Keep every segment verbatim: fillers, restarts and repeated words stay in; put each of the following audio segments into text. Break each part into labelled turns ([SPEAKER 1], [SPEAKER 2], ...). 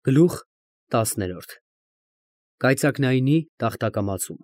[SPEAKER 1] Գլուխ տասներորդ Կայծակնայինի տախտակամածում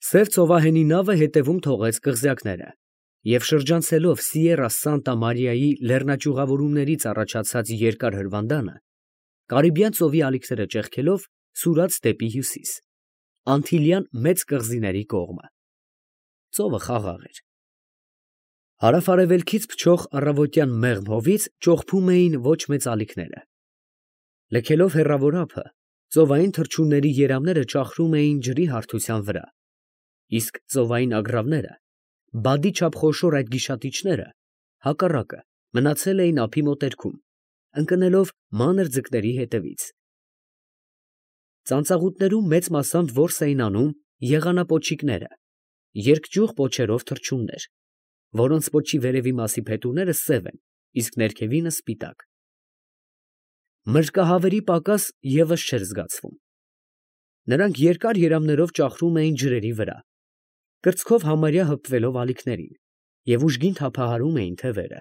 [SPEAKER 1] Սև ծովահենի նավը հետևում թողեց կղզյակները և շրջանցելով Սիերա Սանտա Մարիայի լեռնաճյուղավորումներից առաջացած երկար հրվանդանը, Կարիբյան ծովի ալիքները ճեղքելով, սուրաց դեպի հյուսիս, Անտիլյան մեծ կղզիների կողմը. ծովը խաղաղ էր. հարավ֊արևելքից փչող առավոտյան մեղմ հովից ճողփում էին ոչ մեծ ալիքները. լքելով հեռավոր ափը, ծովային թռչունների երամները ճախրում էին ջրի հարթության վրա, իսկ ծովային ագռավները, բադի չափ խոշոր այդ գիշատիչները, հակառակը, մնացել էին ափի մոտերքում, ընկնելով մանր ձկների հետևից. ծանծաղուտներում մեծ մասամբ որս էին անում եղանապոչիկները, երկճյուղ պոչերով թռչուններ, որոնց պոչի վերևի մասի փետուրները սև են, իսկ ներքևինը սպիտակ. մրրկահավերի պակաս ևս չէր զգացվում. նրանք երկար երամներով ճախրում էին ջրերի վրա, կրծքով համարյա հպվելով ալիքներին և ուժգին թափահարում էին թևերը,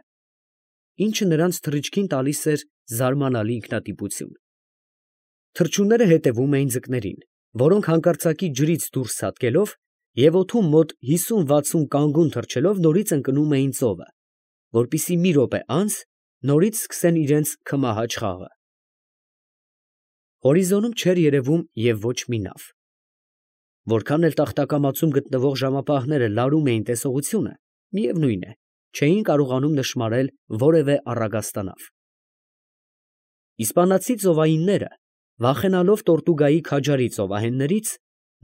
[SPEAKER 1] ինչը նրանց թռիչքին տալիս էր զարմանալի ինքնատիպություն. թռչունները հետևում էին ձկներին, որոնք հանկարծակի ջրից դուրս ցատկելով և օդում մոտ հիսուն֊վաթսուն կանգուն թռչելով նորից ընկնում էին ծովը, որպեսզի մի րոպե անց նորից սկսեն իրենց քմահաճ խաղը. Հորիզոնում չէր երևում և ոչ մի նավ. որքան էլ տախտակամածում գտնվող ժամապահները լարում էին տեսողությունը, միևնույն է, չէին կարողանում նշմարել որևէ առագաստանավ. իսպանացի ծովայինները, վախենալով Տորտուգայի քաջարի ծովահեններից,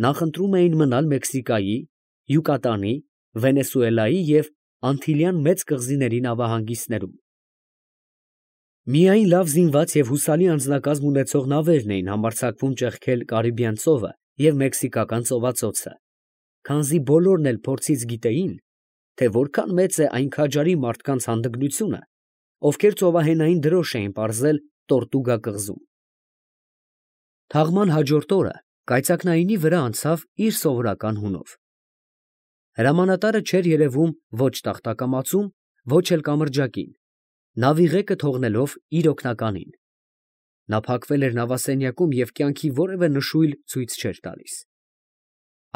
[SPEAKER 1] նախընտրում էին մնալ Մեքսիկայի, Յուկատանի, Վենեսուելայի և Անտիլյան մեծ կղզիների նավահանգիստներում. միայն լավ զինված և հուսալի անձնակազմ ունեցող նավերն էին համարձակվում ճեղքել Կարիբյան ծովը և Մեքսիկական ծովածոցը, քանզի բոլորն էլ փորձից գիտեին, թե որքան մեծ է այն քաջարի մարդկանց հանդգնությունը, ովքեր ծովահենային դրոշ էին պարզել Տորտուգա կղզում. Թաղման հաջորդ օրը կայծակնայինի վրա անցավ իր սովորական հունով. հրամանատարը չէր երևում ոչ տախտակամածում, ոչ էլ կամրջակին, նավի ղեկը թողնելով իր օգնականին. նա փակվել էր նավասենյակում և կյանքի որևէ նշույլ ցույց չէր տալիս.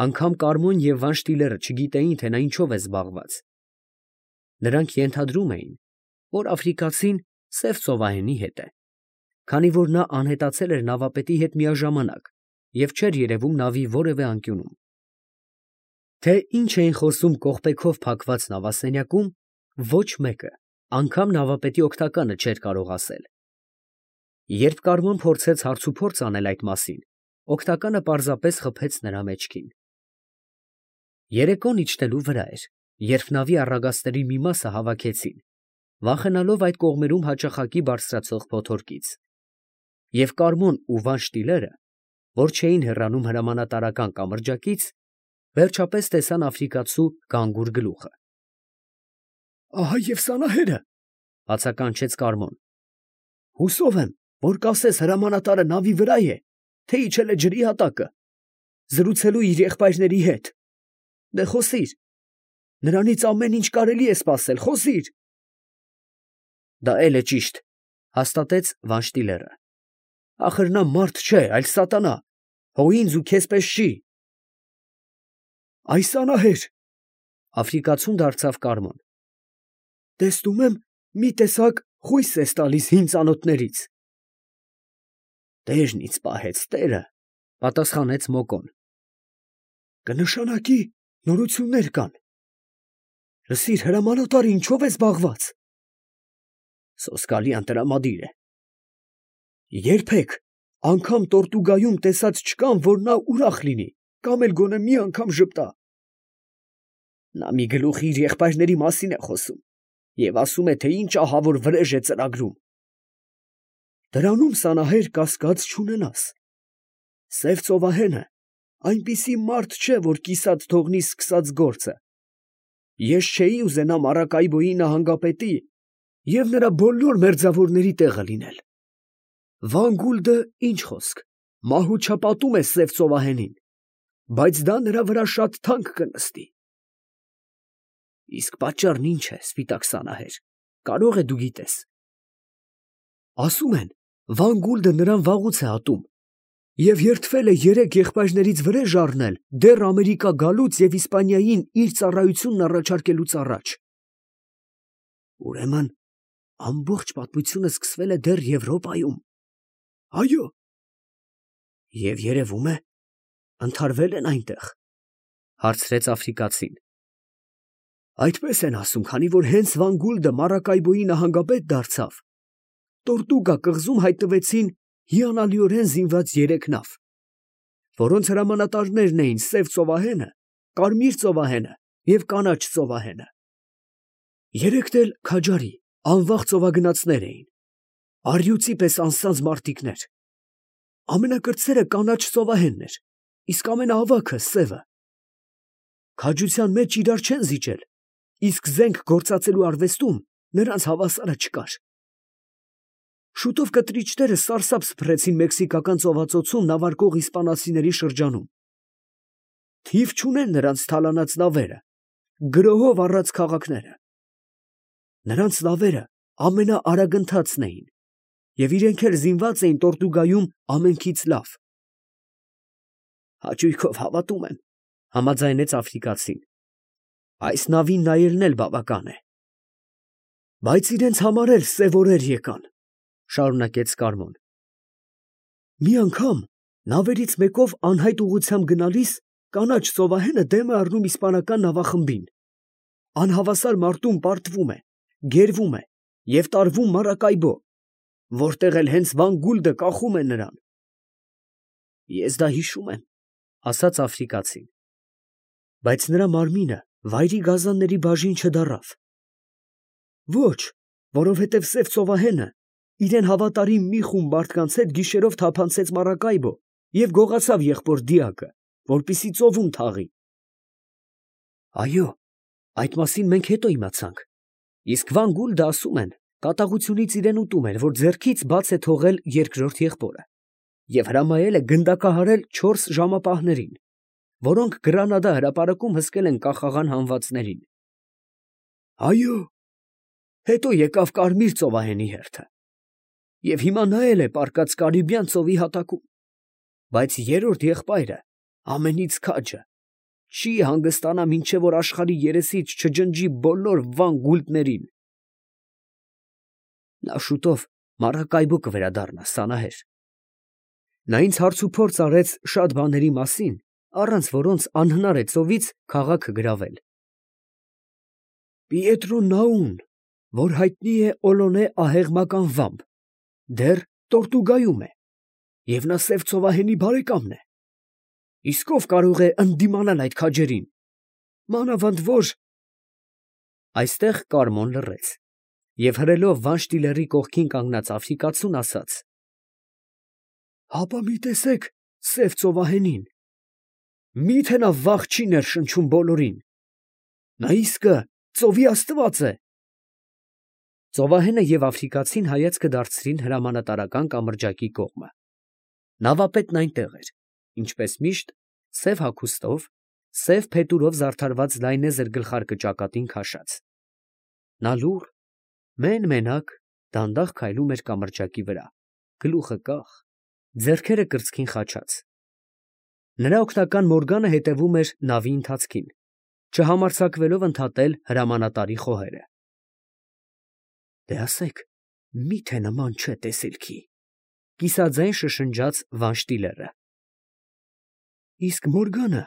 [SPEAKER 1] անգամ Կարմոն և Վանշտիլերը չգիտեին, թե նա ինչով է զբաղված. նրանք ենթադրում էին, որ աֆրիկացին սև ծովահենի հետ է, քանի որ նա անհետացել էր նավապետի հետ միաժամանակ և չէր երևում նավի որևէ անկյունում. թե ինչ էին խոսում կողպեքով փակված նավասենյակում, ոչ մեկը, անգամ նավապետի օգնականը չէր կարող ասել. երբ Կարմոն փորձեց հարցուփորձ անել այդ մասին, օգնականը պարզապես խփեց նրա մեջքին. երեկոն իջնելու վրա էր, երբ նավի առագաստերի մի մասը հավաքեցին, վախենալով այդ կողմերում հաճախակի բարձրացող փոթորկից, և Կարմոն ու Վանշտիլերը, որ չէին հեռանում հրամանատարական կամրջակից, վերջապես տեսան աֆրիկացու գանգուր գլուխը։ ֊ Ահա և Սանահերը, ֊ բացականչեց Կարմոն, ֊ հուսով եմ, որ կասես հրամանատարը նավի վրա է, թե իջել է ջրի հատակը, զրուցելու իր եղբայրների հետ. դե խոսիր, նրանից ամեն ինչ կարելի է սպասել, խոսիր։ ֊ Դա էլ է ճիշտ, ֊ հաստատեց Վանշտիլերը, ֊ ախր նա մարդ չէ, այլ սատանա, հո ինձ ու քեզ պես չի։ ֊ Այ Սանահեր, ֊ աֆրիկացուն դարձավ Կարմոն, ֊ տեսնում եմ, մի տեսակ խույս ես տալիս հին ծանոթներից։ ֊ Տերն ինձ պահեց, տերը, ֊ պատասխանեց Մոկոն։ ֊ Կնշանակի նորություններ կան։ Լսիր, հրամանատարը ինչո՞վ է զբաղված։ ֊ Սոսկալի անտրամադիր է։ ֊ Երբեք, անգամ Տորտուգայում տեսած չկան, որ նա ուրախ լինի, կամ էլ գոնե մի անգամ ժպտա։ ֊ Նա մի գլուխ իր եղբայրների մասին է խոսում և ասում է, թե ինչ ահավոր վրեժ է ծրագրում։ ֊ Դրանում, Սանահեր, կասկած չունենաս. սև ծովահենը այնպիսի մարդ չէ, որ կիսատ թողնի սկսած գործը։ Ես չէի ուզենա Մարակայբոյի նահանգապետի և նրա բոլոր մերձավորների տեղը լինել։ Վան Գուլդը, ինչ խոսք, մահուճապատում է սև ծովահենին, բայց դա նրա վրա շատ թանկ կնստի։ ֊ Իսկ պատճառն ի՞նչ է, սպիտակ Սանահեր, կարող է դու գիտես։ ֊ Ասում են, Վան Գուլդը նրան վաղուց է ատում և երդվել է երեք եղբայրներից վրեժ առնել դեռ Ամերիկա գալուց և Իսպանիային իր ծառայությունն առաջարկելուց առաջ։ Ուրեմն ամբողջ պատմությունը սկսվել է դեռ Եվրոպայում։ Այո։ Եվ երևում է, ընդհարվել են այնտեղ, հարցրեց աֆրիկացին։ Այդպես են ասում, քանի որ հենց Վան Գուլդը Մարակայբոյի նահանգապետ դարձավ, Տորտուգա կղզում հայտնվեցին հիանալիորեն զինված երեք նավ, որոնց հրամանատարներն էին Սև ծովահենը, Կարմիր ծովահենը և Կանաչ ծովահենը։ Երեքն էլ քաջարի, անվախ ծովագնացներ էին, առյուծի պես անսանձ մարտիկներ։ Ամենակրտսերը Կանաչ ծովահենն էր, իսկ ամենաավագը Սևը։ Քաջության մեջ իրար չեն զիջել, իսկ զենք գործածելու արվեստում նրանց հավասարը չկար։ Շուտով կտրիչները սարսափ սփռեցին մեքսիկական ծովածոցում նավարկող իսպանացիների շրջանում։ Թիվ չունեն նրանց թալանած նավերը, գրոհով առած քաղաքները։ Նրանց նավերը ամենաարագընթացն էին, և իրենք էլ զինված էին Տորտուգայում ամենքից լավ։ Հաճույքով հավատում եմ, համաձայնեց աֆրիկացին։ Այս նավին նայելն էլ բավական է։ Բայց իրենց համար էլ սև օրեր եկան, շարունակեց Կարմոն։ Մի անգամ նավերից մեկով անհայտ ուղղությամբ գնալիս Կանաչ ծովահենը դեմ է առնում իսպանական նավախմբին։ Անհավասար մարտում պարտվում է, գերվում է և տարվում Մարակայբո, որտեղ էլ հենց Վան Գուլդը կախում է նրան։ Ես դա հիշում եմ, ասաց աֆրիկացին, բայց նրա մարմինը վայրի գազանների բաժին չդառավ։ Ոչ, որովհետև Սև ծովահենը իրեն հավատարիմ մի խումբ մարդկանց հետ գիշերով թափանցեց Մարակայբո և գողացավ եղբոր դիակը, որպեսզի ծովում թաղի։ Այո, այդ մասին մենք հետո իմացանք, իսկ Վան Գուլդը, ասում են, կատաղությունից իրեն ուտում էր, որ ձեռքից բաց է թողել երկրորդ եղբորը և հրամայել է գնդակահարել չորս ժամապահներին, որոնք Գրանադա հրապարակում հսկել են կախաղան հանվածներին։ Այո, հետո եկավ Կարմիր ծովահենի հերթը, և հիմա նա էլ է պառկած Կարիբյան ծովի հատակում, բայց երրորդ եղբայրը, ամենից քաջը, չի հանգստանա, մինչև որ աշխարհի երեսից չջնջի բոլոր Վան Գուլդներին։ Նա շուտով Մարակայբո կվերադառնա, սանահեր։ Նա ինձ հարցուփորձ արեց շատ բաների մասին, առանց որոնց անհնար է ծովից քաղաքը գրավել։ Պիետրո Նաուն, որ հայտնի է Օլոնե ահեղմական վամբ, դեռ Տորտուգայում է, և նա Սև ծովահենի բարեկամն է։ Իսկ ով կարող է ընդդիմանալ այդ քաջերին, մանավանդ որ… Այստեղ Կարմոն լռեց և հրելով Վանշտիլերի կողքին կանգնած աֆրիկացուն ասաց. Հապա մի տեսեք Սև ծովահենին, մի՞թե նա վախ չի ներշնչում բոլորին, նա իսկը ծովի աստված է։ Ծովահենը և աֆրիկացին հայացքը դարձրին հրամանատարական կամրջակի կողմը։ Նավապետն այնտեղ էր, ինչպես միշտ, սև հագուստով, սև փետուրով զարդարված լայնեզր գլխարկը ճակատին քաշած։ Նա լուռ, մեն֊մենակ, դանդաղ քայլում էր կամրջակի վրա, գլուխը կախ, ձեռքերը կրծքին խաչած։ Նրա օգնական Մորգանը հետևում էր նավի ընթացքին, չհամարձակվելով ընդհատել հրամանատարի խոհերը։ Դե ասեք, մի՞թե նման չէ տեսիլքի, կիսաձայն շշնջաց Վանշտիլերը։ Իսկ Մորգանը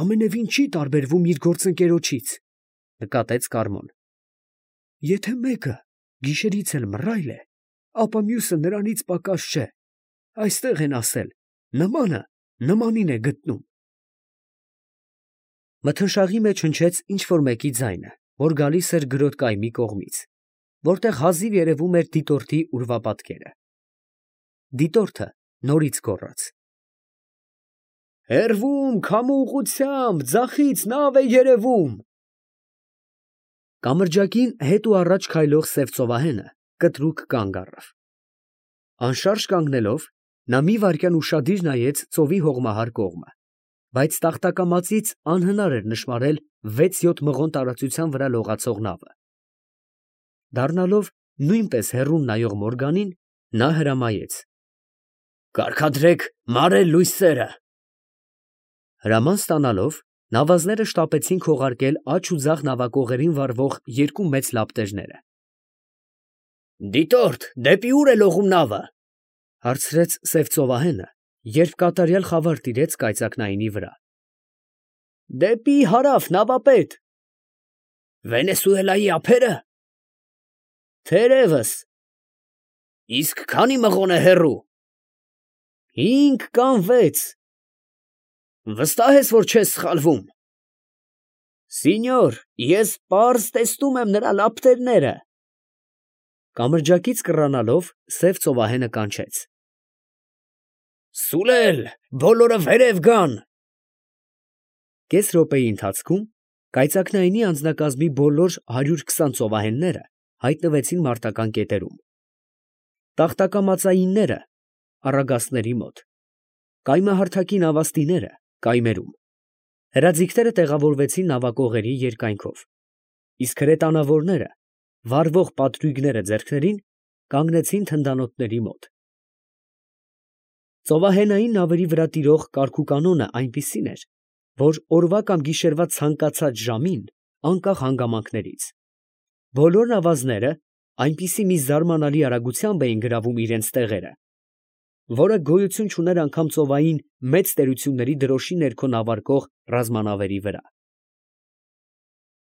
[SPEAKER 1] ամենևին չի տարբերվում իր գործընկերոջից, նկատեց Կարմոն։ Եթե մեկը գիշերից էլ մռայլ է, ապա մյուսը նրանից պակաս չէ, այստեղ են ասել, նմանը նմանին է գտնում։ Մթնշաղի մեջ հնչեց ինչ֊որ մեկի ձայնը, որ գալիս էր գրոտկայմի կողմից, որտեղ հազիվ երևում էր դիտորդի ուրվապատկերը։ Դիտորդը նորից գոռաց. Հեռվում, քամու ուղղությամբ, ձախից նավ է երևում։ Կամրջակին հետ ու առաջ քայլող Սև ծովահենը կտրուկ կանգ առավ։ Անշարժ կանգնելով, նա մի վայրկյան ուշադիր նայեց ծովի հողմահար կողմը, բայց տախտակամածից անհնար էր նշմարել վեց֊յոթ մղոն տարածության վրա լողացող նավը։ Դառնալով նույնպես հեռուն նայող Մորգանին, Նա հրամայեց. «Կարգադրեք մարել լույսերը»։ Հրաման ստանալով, նավազները շտապեցին քողարկել աջ ու ձախ նավակողերին վառվող երկու մեծ լապտերները։ «Դիտորդ, դեպի ո՞ւր է լողում նավը, ֊ հարցրեց սև ծովահենը, երբ կատարյալ խավար տիրեց կայծակնայինի վրա։ ֊ Դեպի հարավ, նավապետ։ ֊ Վենեսուելայի ափե՞րը։ ֊ Թերևս։ ֊ Իսկ քանի՞ մղոն է հեռու։ ֊ Հինգ կամ վեց։ ֊ Վստահ ես, որ չես սխալվում։ ֊ Սինյոր, ես պարզ տեսնում եմ նրա լապտերները։ Կամրջակից կռանալով, սև ծովահենը կանչեց. «Սուլել, բոլորը վերև գան»։ Կես րոպեի ընթացքում կայծակնայինի անձնակազմի բոլոր հարյուր քսան ծովահենները հայտնվեցին մարտական կետերում։ Տախտակամածայինները առագաստների մոտ, կայմահարթակի նավաստիները կայմերում, հրաձիգները տեղավորվեցին նավակողերի երկայնքով, իսկ հրետանավորները, վառվող պատրույգները ձեռքներին, կանգնեցին թնդանոթների մոտ։ Ծովահենային նավերի վրա տիրող կարգուկանոնը այնպիսին էր, որ օրվա կամ գիշերվա ցանկացած ժամին, անկախ հանգամանքներից, բոլոր նավազները այնպիսի մի զարմանալի արագությամբ էին գրավում իրենց տեղերը, որը գոյություն չուներ անգամ ծովային մեծ տերությունների դրոշի ներքո նավարկող ռազմանավերի վրա։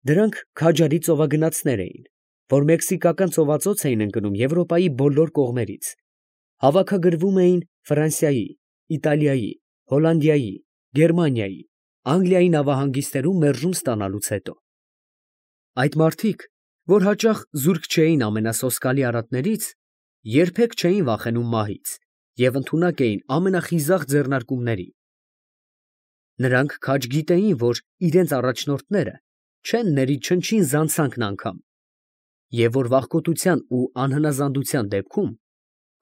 [SPEAKER 1] Դրանք քաջարի ծովագնացներ էին, որ մեքսիկական ծովածոց էին ընկնում Եվրոպայի բոլոր կողմերից, հավաքագրվում էին Ֆրանսիայի, Իտալիայի, Հոլանդիայի, Գերմանիայի, Անգլիայի նավահանգիստերում մերժում ստանալուց հետո։ Այդ մարդիկ, որ հաճախ զուրկ չէին ամենասոսկալի արատներից, երբեք չէին վախենում մահից և ընդունակ էին ամենախիզախ ձեռնարկումների։ Նրանք քաջ գիտեին, որ իրենց առաջնորդները չեն ների չնչին զանցանքն անգամ, և որ վախկոտության ու անհնազանդության դեպքում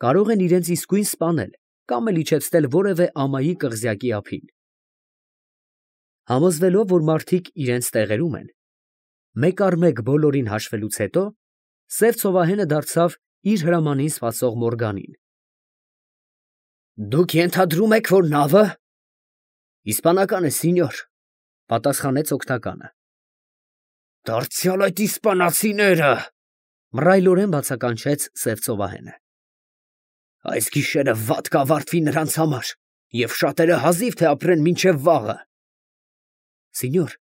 [SPEAKER 1] կարող են իրենց իսկույն սպանել կամ էլ իջեցնել որևէ ամայի կղզյակի ափին։ Համոզվելով, որ մարդիկ իրենց տեղերում են, մեկ առ մեկ բոլորին հաշվելուց հետո, սև ծովահենը դարձավ իր հրամանին սպասող Մորգանին. «Դուք ենթադրում եք, որ նավը…» «Իսպանական է, սինյոր», ֊ պատասխանեց օգնականը։ ֊ Դարձյալ այդ իսպանացիները…, ֊ մռայլորեն բացականչեց սև ծովահենը։ ֊ Այս գիշերը վատ կավարտվի նրանց համար, և շատերը հազիվ թե ապրեն մինչև վաղը։ ֊ Սինյոր,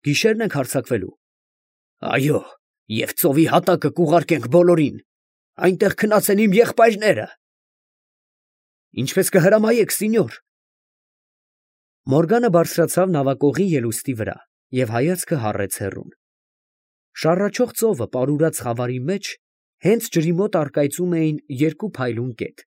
[SPEAKER 1] գիշե՞րն ենք հարձակվելու։ ֊ Այո, և ծովի հատակը կուղարկենք բոլորին, այնտեղ քնած են իմ եղբայրները։ ֊ Ինչպես կհրամայեք, սինյոր։ Մորգանը բարձրացավ նավակողի ելուստի վրա և հայացքը հառեց հեռուն։ Շառաչող ծովը պարուրած խավարի մեջ հենց ջրի մոտ առկայծում էին երկու փայլուն կետ,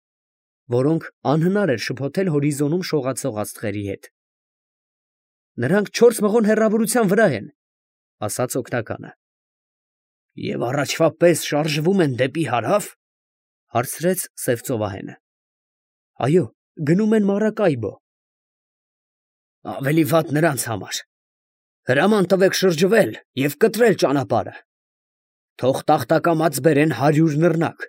[SPEAKER 1] որոնք անհնար էր շփոթել հորիզոնում շողացող աստղերի հետ։ ֊ Նրանք չորս մղոն հեռավորության վրա են, ֊ ասաց օգնականը։ ֊ Եվ առաջվա պես շարժվում են դեպի հարա՞վ, ֊ հարցրեց սև ծովահենը։ ֊ Այո, գնում են Մարակայբո։ ֊ Ավելի վատ նրանց համար։ Հրաման տվեք շրջվել և կտրել ճանապարհը։ Թող տախտակամած բերեն հարյուր նռնակ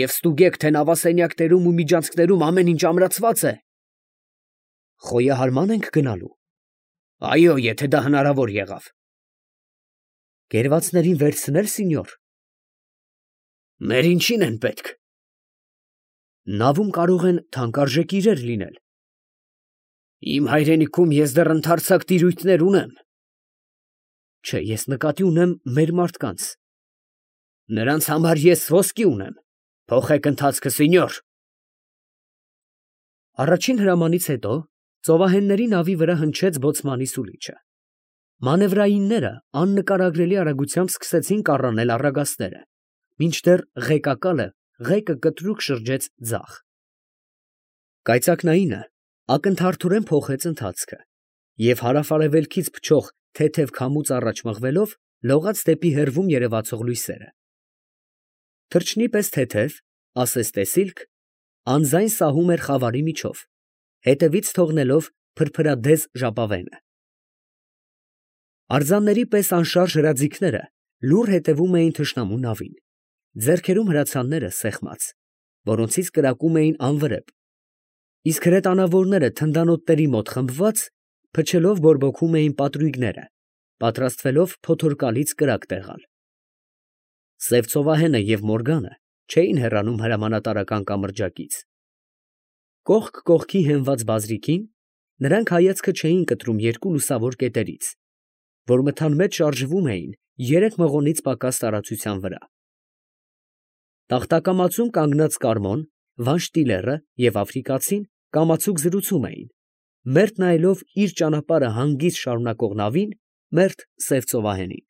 [SPEAKER 1] և ստուգեք, թե նավասենյակներում ու միջանցքներում ամեն ինչ ամրացվա՞ծ է։ ֊ Խոյահարմա՞ն ենք գնալու։ ֊ Այո, եթե դա հնարավոր եղավ։ ֊ Կերվածներին վերցնե՞լ, սինյոր։ ֊ Մեր ինչին են պետք։ ֊ Նավում կարող են թանկարժեք իրեր լինել։ ֊ Իմ հայրենիքում ես դեռ ընդարձակ տիրույթներ ունեմ։ ֊ Չէ, ես նկատի ունեմ մեր մարդկանց։ ֊ Նրանց համար ես ոսկի ունեմ, փոխեք ընթացքը, սինյոր։ Առաջին հրամանից հետո ծովահենների նավի վրա հնչեց բոցմանի սուլիչը։ Մանևրայինները աննկարագրելի արագությամբ սկսեցին կառանել առագաստները, մինչդեռ ղեկակալը ղեկը կտրուկ շրջեց ձախ։ Կայծակնայինը ակնթարթորեն փոխեց ընթացքը և հարավ֊արևելքից փչող թեթև քամուց առաջ մղվելով լողաց դեպի հեռվում երևացող լույսերը։ Թռչնի պես թեթև, ասես տեսիլք, անձայն սահում էր խավարի միջով, հետևից թողնելով փրփրադեզ ժապավենը։ Արձանների պես անշարժ հրաձիգները լուռ հետևում էին թշնամու նավին, ձեռքերում հրացանները սեղմած։ որոնցից կրակում էին անվրեպ, իսկ հրետանավորները թնդանոթների մոտ խմբված, փչելով բորբոքում էին պատրույգները, պատրաստվելով փոթորկալից կրակ տեղալ։ Սև ծովահենը և Մորգանը չէին հեռանում հրամանատարական կամրջակից։ Կողք կողքի հենված բազրիքին նրանք հայացքը չէին կտրում երկու լուսավոր կետերից, որ մթան մեջ շարժվում էին երեք մղոնից պակաս տարածության վրա։ Տախտակամածում կանգնած Կարմոն, Վանշտիլերը և Աֆրիկացին կամացուկ զրուցում էին, մերթ նայելով իր ճանապարհը հանգիստ շարունակող նավին, մերթ սև ծովահենին։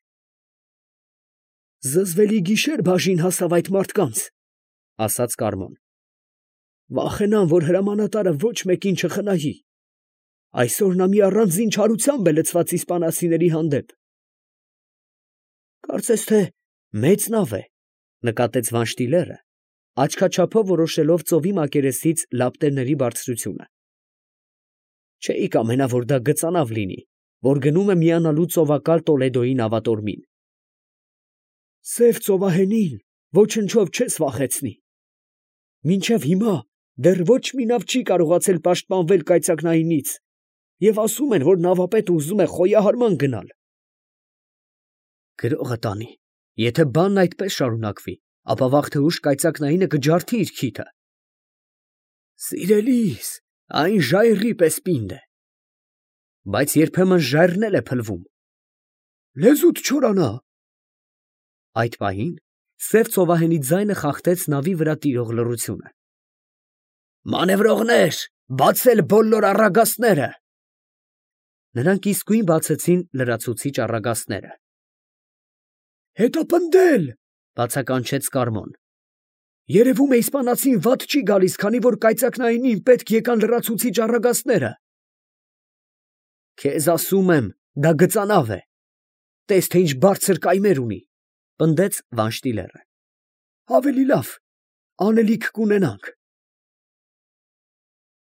[SPEAKER 1] «Զզվելի գիշեր բաժին հասավ այդ մարդկանց, ֊ ասաց Կարմոն. ֊ վախենամ, որ հրամանատարը ոչ մեկին չխնայի. այսօր նա մի առանձին չարությամբ է լցված իսպանացիների հանդեպ։ ֊ Կարծես թե մեծ նավ է, ֊ նկատեց Վանշտիլերը, աչքաչափով որոշելով ծովի մակերեսից լապտերների բարձրությունը։ ֊ Չէի կամենա, որ դա գծանավ լինի, որ գնում է միանալու ծովակալ Տոլեդոյի նավատորմին։ ֊ Սև ծովահենին ոչնչով չես վախեցնի. մինչև հիմա դեռ ոչ մի նավ չի կարողացել պաշտպանվել կայծակնայինից, և ասում են, որ նավապետը ուզում է խոյահարման գնալ։ ֊ Գրողը տանի, եթե բանն այդպես շարունակվի, ապա վաղ թե ուշ կայծակնայինը կջարդի իր քիթը։ ֊ Սիրելիս, այն ժայռի պես պինդ է։ ֊ Բայց երբեմն ժայռն էլ է փլվում։ ֊ Լեզուդ չորանա։ Այդ պահին սև ծովահենի ձայնը խախտեց նավի վրա տիրող լռությունը։ «Մանևրողնե՛ր, բացել բոլոր առագաստները»։ Նրանք իսկույն բացեցին լրացուցիչ առագաստները։ ֊ Հետապնդել, ֊ բացականչեց Կարմոն. ֊ երևում է իսպանացին վատ չի գալիս, քանի որ կայծակնայինին պետք եկան լրացուցիչ առագաստները։ ֊ Քեզ ասում եմ, դա գծանավ է. տես, թե ինչ բարձր կայմեր ունի, ֊ պնդեց Վանշտիլերը։ ֊ Ավելի լավ, անելիք կունենանք։